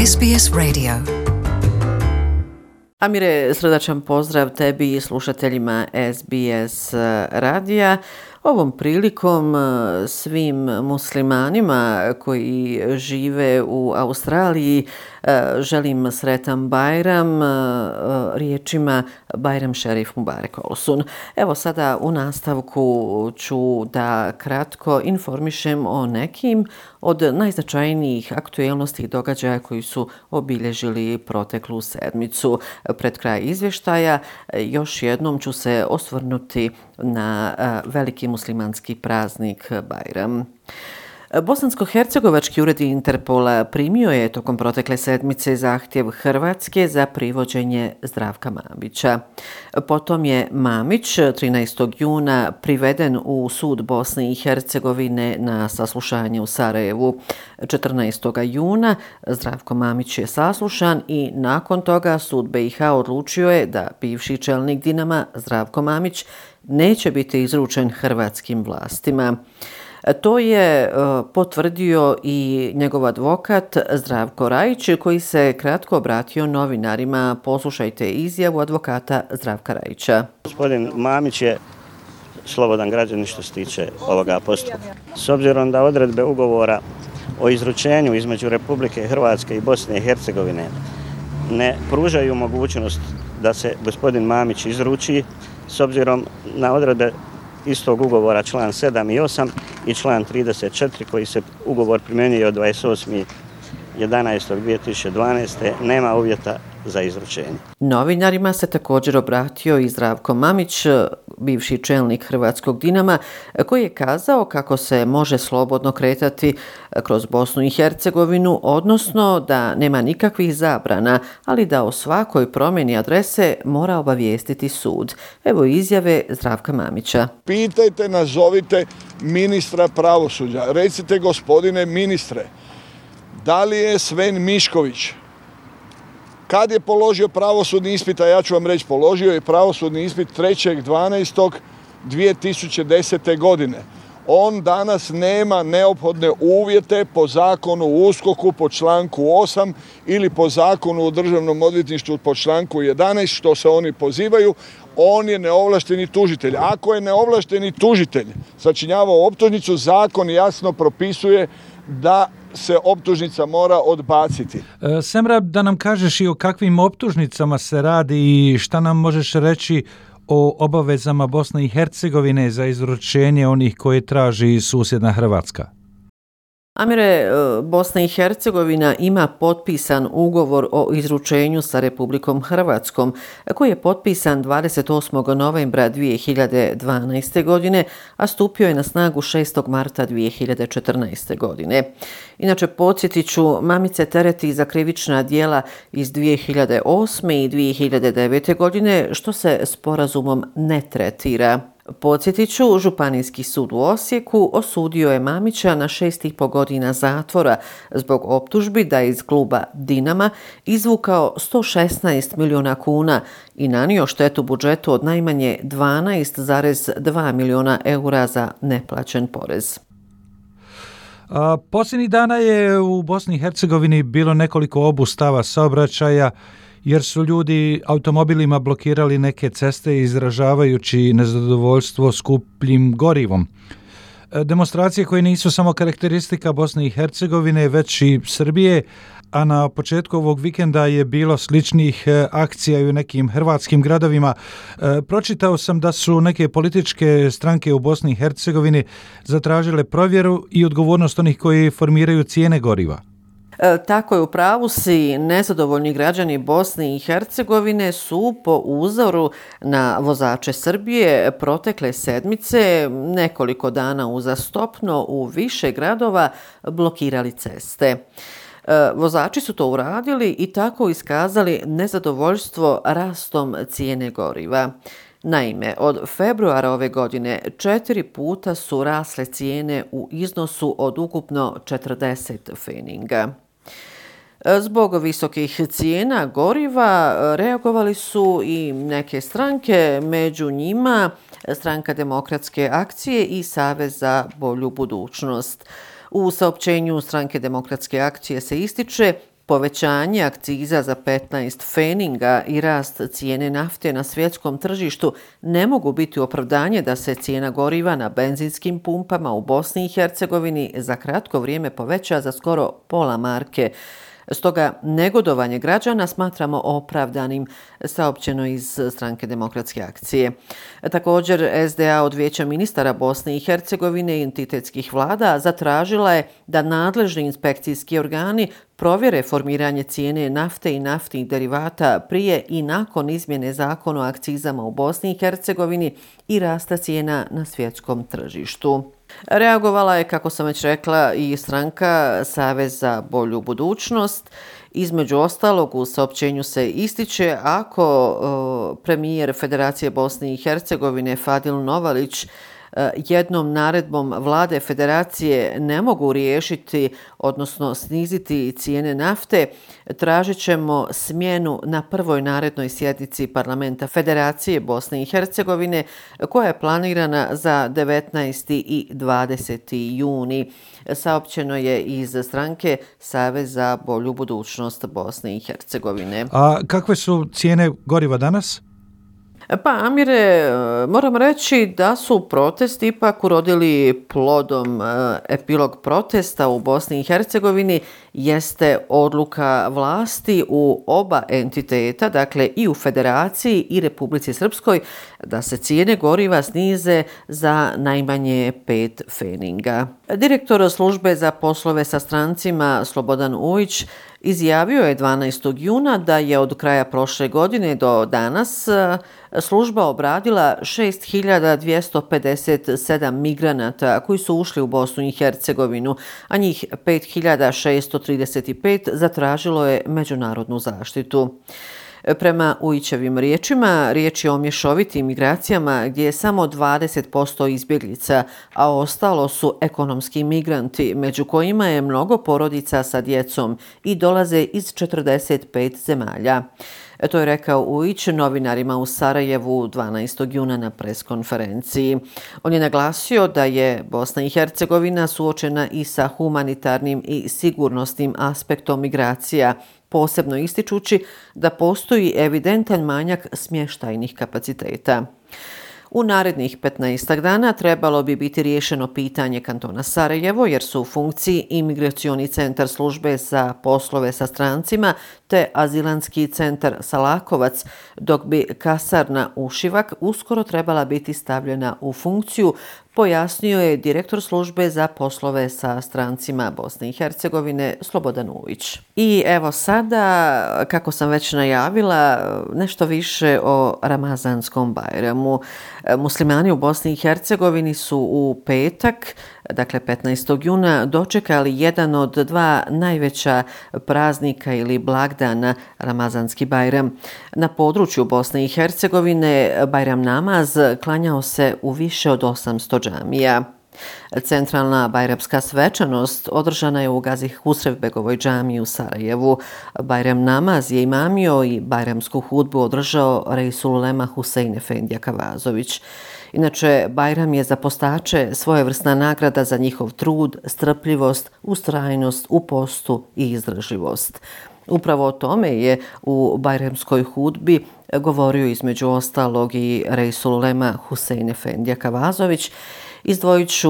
SBS Radio. Amire, srdačan pozdrav tebi i slušateljima SBS radija. Ovom prilikom svim muslimanima koji žive u Australiji želim sretan Bajram riječima Bajram Šerif Mubarek Olsun. Evo sada u nastavku ću da kratko informišem o nekim od najznačajnijih aktuelnosti i događaja koji su obilježili proteklu sedmicu. Pred kraj izvještaja još jednom ću se osvrnuti na veliki muslimanski praznik Bajram. Bosansko-hercegovački ured Interpola primio je tokom protekle sedmice zahtjev Hrvatske za privođenje Zdravka Mamića. Potom je Mamić 13. juna priveden u sud Bosne i Hercegovine na saslušanje u Sarajevu. 14. juna Zdravko Mamić je saslušan i nakon toga sud BiH odlučio je da bivši čelnik Dinama Zdravko Mamić neće biti izručen hrvatskim vlastima. To je potvrdio i njegov advokat Zdravko Rajić, koji se kratko obratio novinarima. Poslušajte izjavu advokata Zdravka Rajića. Gospodin Mamić je slobodan građanin što se tiče ovoga postupka. S obzirom da odredbe ugovora o izručenju između Republike Hrvatske i Bosne i Hercegovine ne pružaju mogućnost da se gospodin Mamić izruči, s obzirom na odredbe istog ugovora član 7 i 8 i član 34 koji se ugovor primjenjuje od 28.11.2012. nema uvjeta za izručenje. Novinarima se također obratio i Zdravko Mamić, bivši čelnik hrvatskog Dinama, koji je kazao kako se može slobodno kretati kroz Bosnu i Hercegovinu, odnosno da nema nikakvih zabrana, ali da o svakoj promjeni adrese mora obavijestiti sud. Evo izjave Zdravka Mamića. Pitajte, nazovite ministra pravosuđa. Recite, gospodine ministre, da li je Sven Mišković, kad je položio pravosudni ispit, a ja ću vam reći, položio je pravosudni ispit 3.12.2010. godine. On danas nema neophodne uvjete po zakonu o USKOK-u po članku 8 ili po zakonu o državnom odvjetništvu po članku 11, što se oni pozivaju. On je neovlašteni tužitelj. Ako je neovlašteni tužitelj sačinjavao optužnicu, zakon jasno propisuje da se optužnica mora odbaciti. Semra, da nam kažeš i o kakvim optužnicama se radi i šta nam možeš reći o obavezama Bosne i Hercegovine za izručenje onih koje traži susjedna Hrvatska? Amire, Bosna i Hercegovina ima potpisan ugovor o izručenju sa Republikom Hrvatskom, koji je potpisan 28. novembra 2012. godine, a stupio je na snagu 6. marta 2014. godine. Inače, podsjetit ću, Mamić se tereti za krivična djela iz 2008. i 2009. godine, što se sporazumom ne tretira. Podsjetit ću, Županijski sud u Osijeku osudio je Mamića na 6,5 godina zatvora zbog optužbi da je iz kluba Dinama izvukao 116 milijuna kuna i nanio štetu budžetu od najmanje 12,2 milijuna eura za neplaćen porez. Posljednjih dana je u Bosni i Hercegovini bilo nekoliko obustava saobraćaja jer su ljudi automobilima blokirali neke ceste izražavajući nezadovoljstvo skupljim gorivom. Demonstracije koje nisu samo karakteristika Bosne i Hercegovine, već i Srbije, a na početku ovog vikenda je bilo sličnih akcija i u nekim hrvatskim gradovima. Pročitao sam da su neke političke stranke u Bosni i Hercegovini zatražile provjeru i odgovornost onih koji formiraju cijene goriva. Tako je, u pravu si. Nezadovoljni građani Bosne i Hercegovine su po uzoru na vozače Srbije protekle sedmice nekoliko dana uzastopno u više gradova blokirali ceste. Vozači su to uradili i tako iskazali nezadovoljstvo rastom cijene goriva. Naime, od februara ove godine 4 puta su rasle cijene u iznosu od ukupno 40 pfeninga. Zbog visokih cijena goriva reagovali su i neke stranke, među njima Stranka demokratske akcije i Savez za bolju budućnost. U saopćenju Stranke demokratske akcije se ističe Povećanje akciza za 15 feninga i rast cijene nafte na svjetskom tržištu ne mogu biti opravdanje da se cijena goriva na benzinskim pumpama u Bosni i Hercegovini za kratko vrijeme poveća za skoro pola marke. Stoga negodovanje građana smatramo opravdanim, saopćeno iz Stranke demokratske akcije. Također, SDA od Vijeća ministara Bosne i Hercegovine i entitetskih vlada zatražila je da nadležni inspekcijski organi provjere formiranje cijene nafte i naftnih derivata prije i nakon izmjene zakona o akcizama u Bosni i Hercegovini i rasta cijena na svjetskom tržištu. Reagovala je, kako sam već rekla, i stranka Savez za bolju budućnost. Između ostalog, u saopćenju se ističe ako premijer Federacije Bosne i Hercegovine Fadil Novalić jednom naredbom vlade federacije ne mogu riješiti, odnosno sniziti cijene nafte, tražit ćemo smjenu na prvoj narednoj sjednici parlamenta Federacije Bosne i Hercegovine koja je planirana za 19. i 20. juni. Saopćeno je iz stranke Savez za bolju budućnost Bosne i Hercegovine. A kakve su cijene goriva danas? Pa, Amire, moram reći da su protesti ipak urodili plodom. Epilog protesta u Bosni i Hercegovini jeste odluka vlasti u oba entiteta, dakle i u Federaciji i Republici Srpskoj, da se cijene goriva snize za najmanje 5 feninga. Direktor službe za poslove sa strancima Slobodan Ujić izjavio je 12. juna da je od kraja prošle godine do danas služba obradila 6.257 migranata koji su ušli u Bosnu i Hercegovinu, a njih 5.635 zatražilo je međunarodnu zaštitu. Prema Ujićevim riječima, riječ je o mješovitim migracijama gdje je samo 20% izbjeglica, a ostalo su ekonomski migranti, među kojima je mnogo porodica sa djecom i dolaze iz 45 zemalja. To je rekao Ujić novinarima u Sarajevu 12. juna na preskonferenciji. On je naglasio da je Bosna i Hercegovina suočena i sa humanitarnim i sigurnosnim aspektom migracija, posebno ističući da postoji evidentan manjak smještajnih kapaciteta. U narednih 15 dana trebalo bi biti riješeno pitanje kantona Sarajevo jer su u funkciji imigracioni centar službe za poslove sa strancima te azilanski centar Salakovac, dok bi kasarna Ušivak uskoro trebala biti stavljena u funkciju, pojasnio je direktor službe za poslove sa strancima Bosne i Hercegovine Slobodan Ujić. I evo sada, kako sam već najavila, nešto više o Ramazanskom Bajramu. Muslimani u Bosni i Hercegovini su u petak, dakle 15. juna, dočekali jedan od dva najveća praznika ili blagdana, Ramazanski Bajram. Na području Bosne i Hercegovine Bajram namaz klanjao se u više od 800 džamija. Centralna bajramska svečanost održana je u Gazi Husrevbegovoj džamiji u Sarajevu. Bajram namaz je imamio i bajramsku hudbu održao Reisul Ulema Husein Efendija Kavazović. Inače, Bajram je za postače svojevrsna nagrada za njihov trud, strpljivost, ustrajnost u postu i izdržljivost. Upravo o tome je u bajramskoj hudbi govorio između ostalog i Reisul Ulema Husein Efendija Kavazović. Izdvojit ću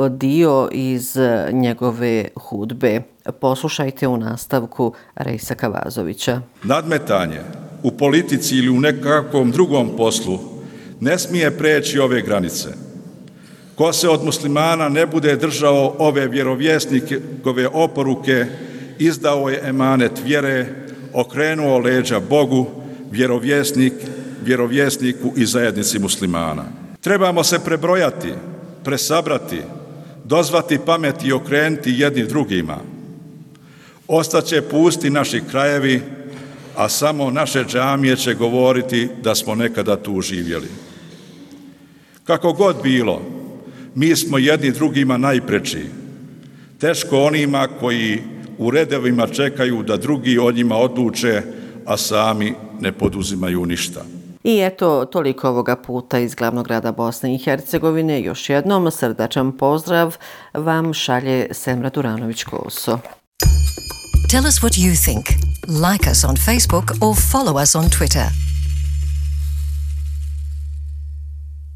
dio iz njegove hudbe. Poslušajte u nastavku Reisa Kavazovića. Nadmetanje u politici ili u nekakvom drugom poslu ne smije preći ove granice. Ko se od muslimana ne bude držao ove vjerovjesnikove oporuke, izdao je emanet vjere, okrenuo leđa Bogu, vjerovjesniku i zajednici muslimana. Trebamo se prebrojati, presabrati, dozvati pameti i okrenuti jedni drugima. Ostaće pusti naši krajevi, a samo naše džamije će govoriti da smo nekada tu živjeli. Kako god bilo, mi smo jedni drugima najpreči. Teško onima koji u redovima čekaju da drugi o njima odluče, a sami ne poduzimaju ništa. I eto, toliko ovoga puta iz glavnog grada Bosne i Hercegovine. Još jednom srdačan pozdrav vam šalje Semra Duranović-Koso. Tell us what you think. Like us on Facebook or follow us on Twitter.